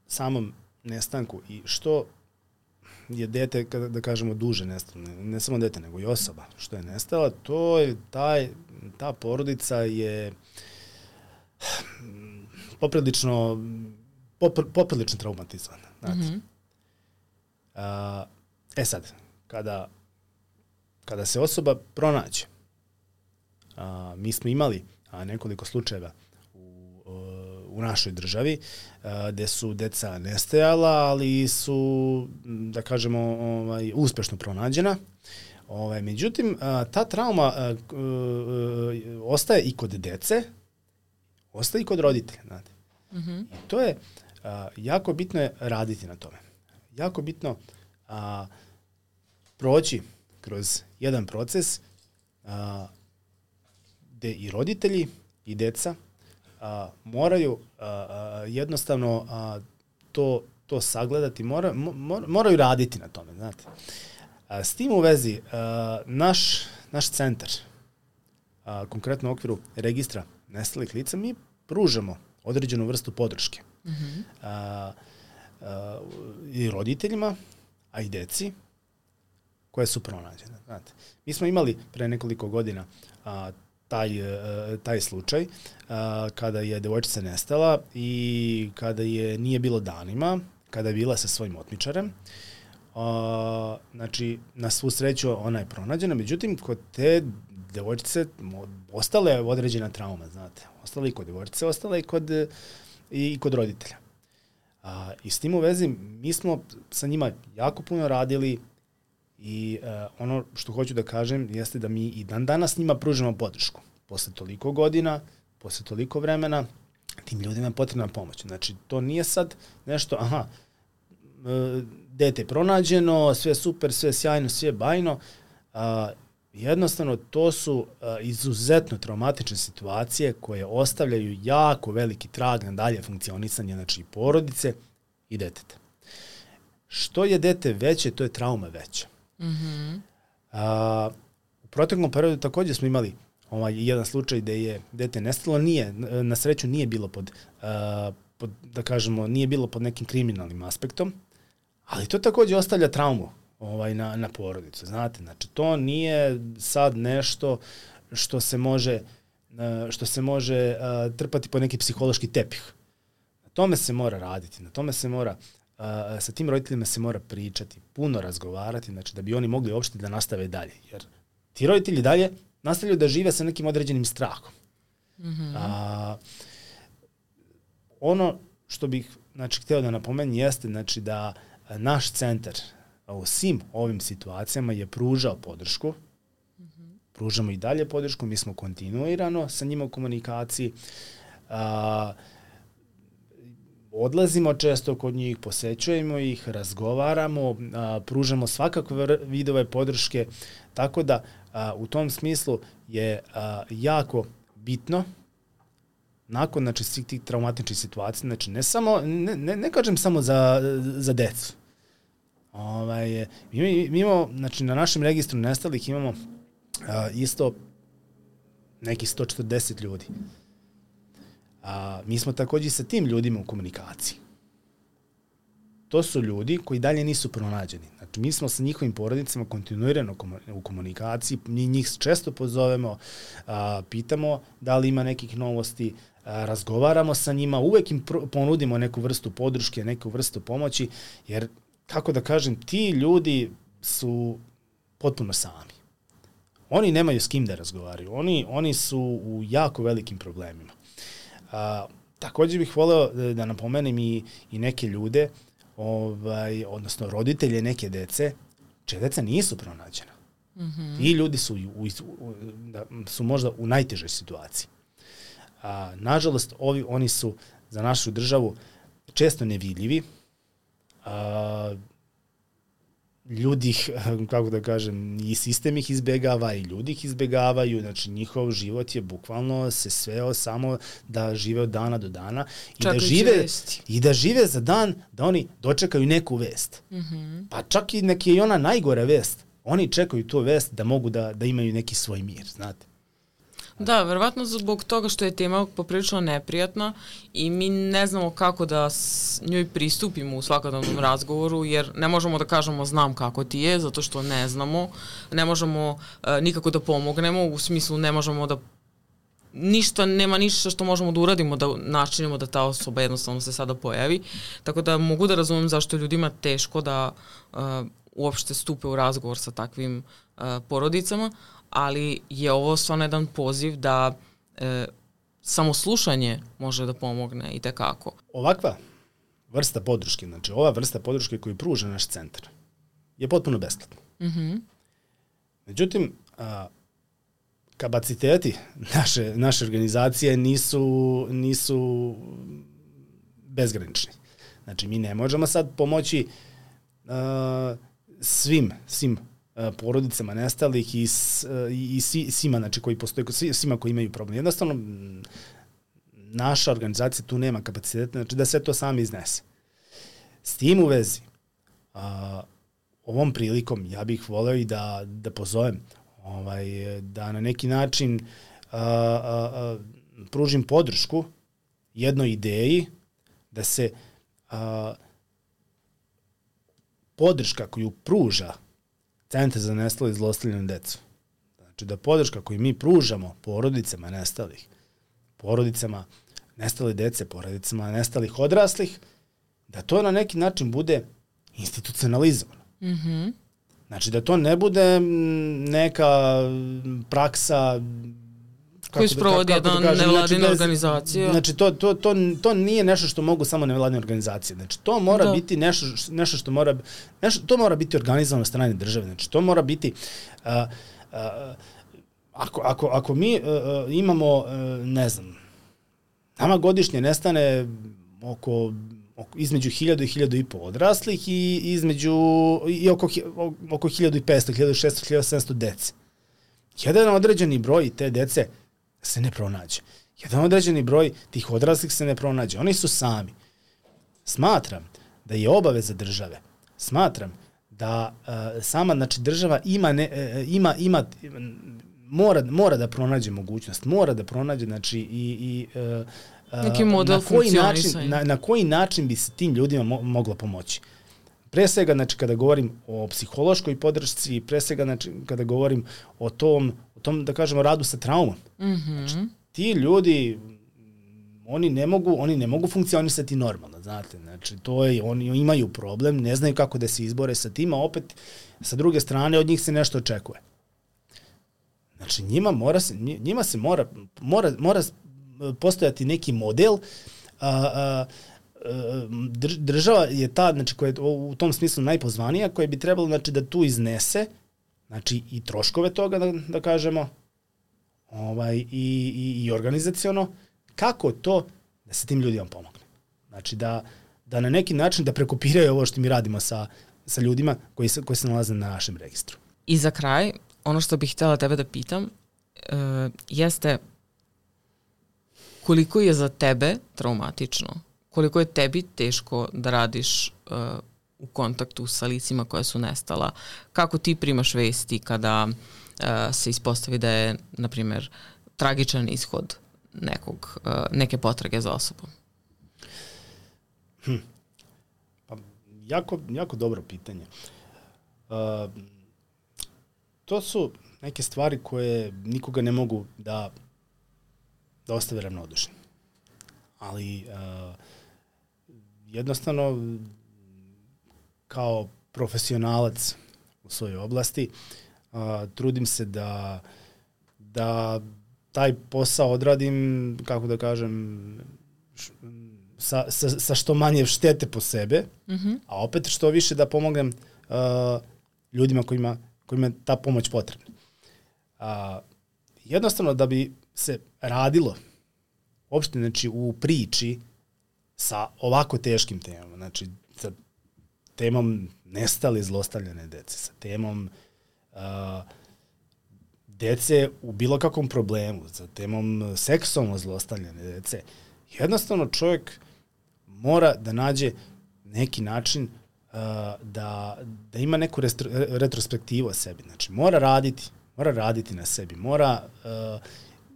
samom nestanku i što je dete, kada da kažemo duže nestalo, ne, ne samo dete, nego i osoba što je nestala, to je taj, ta porodica je poprilično popr, poprilično traumatizovana. Znate. Mm-hmm. A, e sad, kada kada se osoba pronađe, a, mi smo imali a, nekoliko slučajeva u, u našoj državi, gde su deca nestajala, ali su, da kažemo, ovaj, uspešno pronađena. Ovaj, međutim, ta trauma ostaje i kod dece, ostaje i kod roditelja. Znate. Mm-hmm. I to je jako bitno je raditi na tome. Jako bitno a, proći kroz jedan proces a, gde i roditelji i deca a, moraju a, a, jednostavno a, to, to sagledati, mora, mor, moraju raditi na tome. Znate. A, s tim u vezi, a, naš, naš centar, a, konkretno u okviru registra nestalih lica, mi pružamo određenu vrstu podrške. Mm-hmm. a, a, i roditeljima, a i deci koje su pronađene. Znate. Mi smo imali pre nekoliko godina a, taj, a, taj slučaj a, kada je devojčica nestala i kada je nije bilo danima, kada je bila sa svojim otmičarem. A, znači, na svu sreću ona je pronađena, međutim, kod te devojčice ostala je određena trauma, znate. Ostala i kod devojčice, ostala i kod, i kod roditelja. A, I s tim u vezi, mi smo sa njima jako puno radili i a, ono što hoću da kažem jeste da mi i dan danas njima pružimo podršku. Posle toliko godina, posle toliko vremena, tim ljudima je potrebna pomoć. Znači, to nije sad nešto, aha, dete je pronađeno, sve super, sve sjajno, sve bajno. A, jednostavno, to su a, izuzetno traumatične situacije koje ostavljaju jako veliki trag na dalje funkcionisanje, znači i porodice i deteta. Što je dete veće, to je trauma veća. Mm-hmm. A, u proteklom periodu također smo imali ovaj, jedan slučaj gde je dete nestalo, nije, na sreću nije bilo pod, a, pod, da kažemo, nije bilo pod nekim kriminalnim aspektom, ali to također ostavlja traumu ovaj, na, na porodicu, znate, znači to nije sad nešto što se može, što se može uh, trpati po neki psihološki tepih. Na tome se mora raditi, na tome se mora, uh, sa tim roditeljima se mora pričati, puno razgovarati, znači da bi oni mogli uopšte da nastave dalje, jer ti roditelji dalje nastavljaju da žive sa nekim određenim strahom. Mm-hmm. A, ono što bih, znači, hteo da napomenem jeste, znači, da naš centar u svim ovim situacijama je pružao podršku. Mm-hmm. Pružamo i dalje podršku, mi smo kontinuirano sa njima u komunikaciji. A, odlazimo često kod njih, posećujemo ih, razgovaramo, a, pružamo svakakve vidove podrške, tako da a, u tom smislu je a, jako bitno nakon, znači, svih tih traumatičnih situacija, znači ne samo, ne, ne, ne kažem samo za, za decu. Ovaj, mi, mi imamo, znači na našem registru nestalih imamo a, isto nekih sto četrdeset ljudi. A, mi smo također sa tim ljudima u komunikaciji. To su ljudi koji dalje nisu pronađeni. Znači, mi smo sa njihovim porodicama kontinuirano u komunikaciji, mi njih često pozovemo, a, pitamo da li ima nekih novosti, a, razgovaramo sa njima, uvek im ponudimo neku vrstu podrške, neku vrstu pomoći, jer, kako da kažem, ti ljudi su potpuno sami. Oni nemaju s kim da razgovaraju, oni, oni su u jako velikim problemima. A, također bih voleo da, da napomenem i, i neke ljude, ovaj, odnosno roditelje neke dece, čije deca nisu pronađena. Mm-hmm. Ti ljudi su, u, u, da, su možda u najtežoj situaciji. A, nažalost, ovi, oni su za našu državu često nevidljivi. A, ljudi, kako da kažem, i sistem ih izbegava i ljudi ih izbegavaju, znači njihov život je bukvalno se sveo samo da žive od dana do dana i da žive, i da žive za dan da oni dočekaju neku vest. Mm-hmm. Pa čak i neki je ona najgora vest, oni čekaju tu vest da mogu da, da imaju neki svoj mir, znate. Da, verovatno zbog toga što je tema poprilično neprijatna i mi ne znamo kako da s njoj pristupimo u svakodnevnom razgovoru, jer ne možemo da kažemo znam kako ti je, zato što ne znamo, ne možemo e, nikako da pomognemo, u smislu ne možemo da ništa, nema ništa što možemo da uradimo, da načinimo da ta osoba jednostavno se sada pojavi, tako da mogu da razumem zašto je ljudima teško da e, uopšte stupe u razgovor sa takvim e, porodicama, ali je ovo stvarno jedan poziv da e, samo slušanje može da pomogne i tekako. Ovakva vrsta podrške, znači ova vrsta podrške koju pruža naš centar je potpuno besplatna. Mm-hmm. Međutim, a, kapaciteti naše, naše organizacije nisu, nisu bezgranični. Znači, mi ne možemo sad pomoći a, svim, svim a, porodicama nestalih i, s, a, i svi, svima, znači, koji postoje, svima koji imaju problem. Jednostavno, naša organizacija tu nema kapaciteta, znači da sve to sami iznese. S tim u vezi, a, ovom prilikom ja bih voleo i da, da pozovem ovaj, da na neki način a, a, a, pružim podršku jednoj ideji da se a, podrška koju pruža Centar za nestalu i zlostavljanu decu, znači da podrška koju mi pružamo porodicama nestalih, porodicama nestale dece, porodicama nestalih odraslih, da to na neki način bude institucionalizovano. Mm-hmm. Znači da to ne bude neka praksa koji sprovodi jedna da nevladina znači, organizacija. Znači to, to, to, to nije nešto što mogu samo nevladine organizacije. Znači to mora da. biti nešto, nešto što mora, nešto, to mora biti organizovano od strane države. Znači to mora biti uh, uh, ako, ako, ako mi uh, imamo, uh, ne znam, nama godišnje nestane oko između hiljadu i hiljadu i po odraslih i između i oko oko hiljadu i petsto, hiljadu i šesto, hiljadu i sedamsto dece. Jedan određeni broj te dece se ne pronađe. Jedan određeni broj tih odraslih se ne pronađe. Oni su sami. Smatram da je obaveza države. Smatram da uh, sama znači država ima ne, uh, ima ima mora mora da pronađe mogućnost, mora da pronađe znači i i uh, neki model na koji način, na, na koji način bi se tim ljudima mo, moglo pomoći. Pre svega, znači, kada govorim o psihološkoj podršci, pre svega, znači, kada govorim o tom, o tom, da kažemo, radu sa traumom. Mm-hmm. Znači, ti ljudi, oni ne mogu, oni ne mogu funkcionisati normalno, znate. Znači, to je, oni imaju problem, ne znaju kako da se izbore sa tim, a opet, sa druge strane, od njih se nešto očekuje. Znači, njima, mora se, njima se mora, mora, mora postojati neki model, a, a, država je ta, znači, koja je u tom smislu najpozvanija, koja bi trebalo, znači, da tu iznese, znači, i troškove toga, da, da kažemo, ovaj, i, i, i organizaciono, kako to da se tim ljudima pomogne. Znači, da, da na neki način da prekopiraju ovo što mi radimo sa, sa ljudima koji se, koji se nalaze na našem registru. I za kraj, ono što bih htjela tebe da pitam, uh, jeste koliko je za tebe traumatično, koliko je tebi teško da radiš uh, u kontaktu sa licima koja su nestala, kako ti primaš vesti kada uh, se ispostavi da je, na primjer, tragičan ishod nekog, uh, neke potrage za osobom? Hm. Pa, jako, jako dobro pitanje. Uh, to su neke stvari koje nikoga ne mogu da da ostave ravnodušni. Ali uh, jednostavno kao profesionalac u svojoj oblasti uh, trudim se da da taj posao odradim, kako da kažem, š, sa, sa, sa što manje štete po sebe, mm-hmm. a opet što više da pomognem uh, ljudima kojima, kojima je ta pomoć potrebna. Uh, jednostavno da bi se radilo uopšte, znači, u priči sa ovako teškim temama, znači sa temom nestale zlostavljane dece, sa temom uh, dece u bilo kakvom problemu, sa temom seksualno zlostavljane dece. Jednostavno čovjek mora da nađe neki način uh, da, da ima neku restro, retrospektivu o sebi. Znači mora raditi, mora raditi na sebi, mora uh,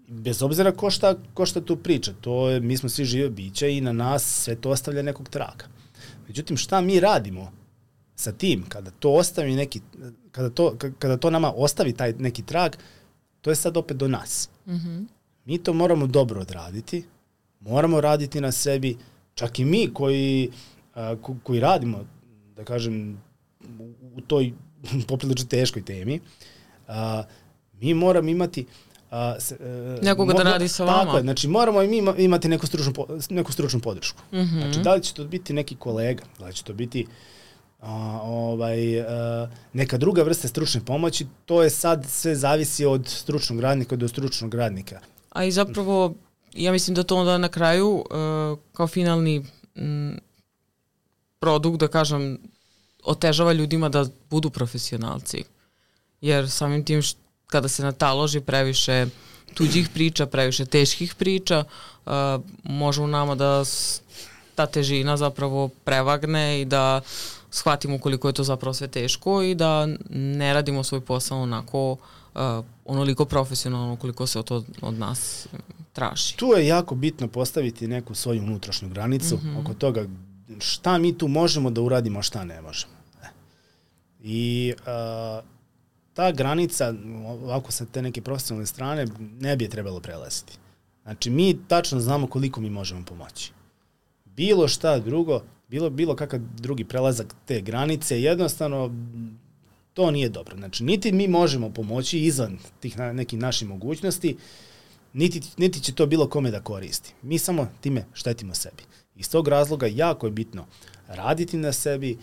bez obzira ko šta, ko šta tu priča, to je, mi smo svi žive bića i na nas sve to ostavlja nekog traga. Međutim, šta mi radimo sa tim, kada to ostavi neki, kada to, kada to nama ostavi taj neki trag, to je sad opet do nas. Mm-hmm. Mi to moramo dobro odraditi, moramo raditi na sebi, čak i mi koji, a, ko, koji radimo, da kažem, u, u toj poprilično teškoj temi, a, mi moramo imati A, se, uh, Nekoga da radi sa vama. Tako je, znači moramo i mi imati neku stručnu, neku stručnu podršku. Mm-hmm. Znači da li će to biti neki kolega, da li će to biti a, ovaj, a, neka druga vrsta stručne pomoći, to je sad sve zavisi od stručnog radnika do stručnog radnika. A i zapravo, ja mislim da to onda na kraju uh, kao finalni m, produkt, da kažem, otežava ljudima da budu profesionalci. Jer samim tim što kada se nataloži previše tuđih priča, previše teških priča, uh, može u nama da ta težina zapravo prevagne i da shvatimo koliko je to zapravo sve teško i da ne radimo svoj posao onako uh, onoliko profesionalno koliko se to od nas traži. Tu je jako bitno postaviti neku svoju unutrašnju granicu mm-hmm. oko toga šta mi tu možemo da uradimo, a šta ne možemo. I uh, ta granica, ovako sa te neke profesionalne strane, ne bi je trebalo prelaziti. Znači, mi tačno znamo koliko mi možemo pomoći. Bilo šta drugo, bilo, bilo kakav drugi prelazak te granice, jednostavno, to nije dobro. Znači, niti mi možemo pomoći izvan tih na, nekih naših mogućnosti, niti, niti će to bilo kome da koristi. Mi samo time štetimo sebi. Iz tog razloga jako je bitno raditi na sebi.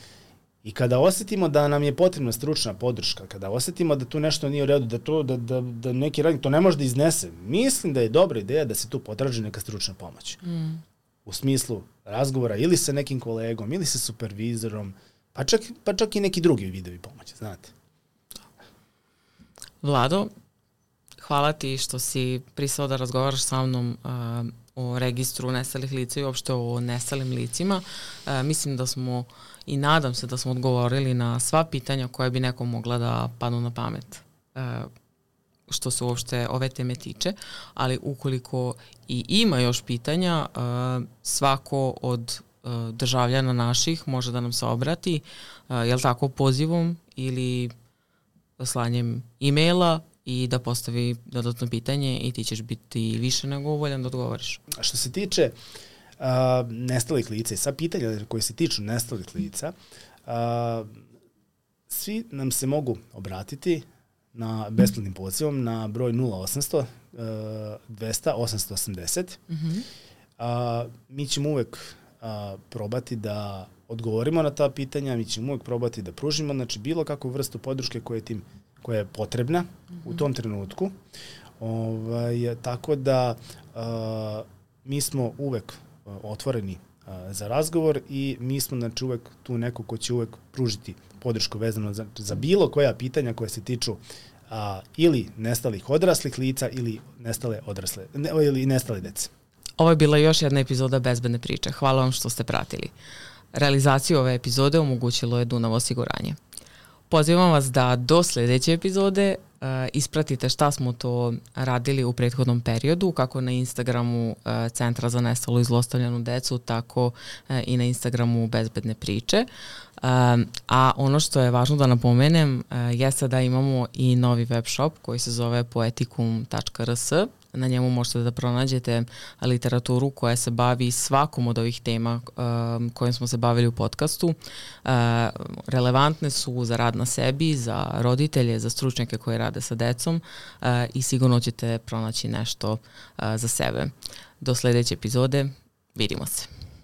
I kada osjetimo da nam je potrebna stručna podrška, kada osjetimo da tu nešto nije u redu, da, to, da, da, da neki radnik to ne može da iznese, mislim da je dobra ideja da se tu potraži neka stručna pomoć. Mm. U smislu razgovora ili sa nekim kolegom, ili sa supervizorom, pa čak, pa čak i neki drugi vidovi pomoći, znate. Vlado, hvala ti što si pristao da razgovaraš sa mnom uh, o registru nestalih lica i uopšte o nestalim licima. Uh, mislim da smo i nadam se da smo odgovorili na sva pitanja koje bi nekom mogla da padnu na pamet uh, što se uopšte ove teme tiče, ali ukoliko i ima još pitanja, uh, svako od uh, državljana naših može da nam se obrati, uh, jel tako, pozivom ili slanjem e-maila i da postavi dodatno pitanje i ti ćeš biti više nego voljan da odgovoriš. A što se tiče uh, nestalih lica i sva pitanja koje se tiču nestalih lica, uh, svi nam se mogu obratiti na besplatnim pozivom na broj nula osamsto dvesta osamsto osamdeset. Mm-hmm. Uh, mi ćemo uvek uh, probati da odgovorimo na ta pitanja, mi ćemo uvek probati da pružimo, znači bilo kakvu vrstu podrške koja je, tim, koja je potrebna mm-hmm. u tom trenutku. Ovaj, tako da uh, mi smo uvek uh, otvoreni uh, za razgovor i mi smo znači uvek tu neko ko će uvek pružiti podršku vezano za, za bilo koja pitanja koja se tiču a, ili nestalih odraslih lica ili nestale odrasle ne, ili nestale dece. Ovo je bila još jedna epizoda Bezbedne priče. Hvala vam što ste pratili. Realizaciju ove epizode omogućilo je Dunav osiguranje. Pozivam vas da do sljedeće epizode uh, ispratite šta smo to radili u prethodnom periodu, kako na Instagramu uh, Centra za nestalu i zlostavljanu decu, tako uh, i na Instagramu Bezbedne priče. Uh, a ono što je važno da napomenem uh, jeste da imamo i novi web shop koji se zove poeticum tačka r s. Na njemu možete da pronađete literaturu koja se bavi svakom od ovih tema um, kojim smo se bavili u podcastu. Uh, relevantne su za rad na sebi, za roditelje, za stručnjake koji rade sa decom uh, i sigurno ćete pronaći nešto uh, za sebe. Do sljedeće epizode, vidimo se.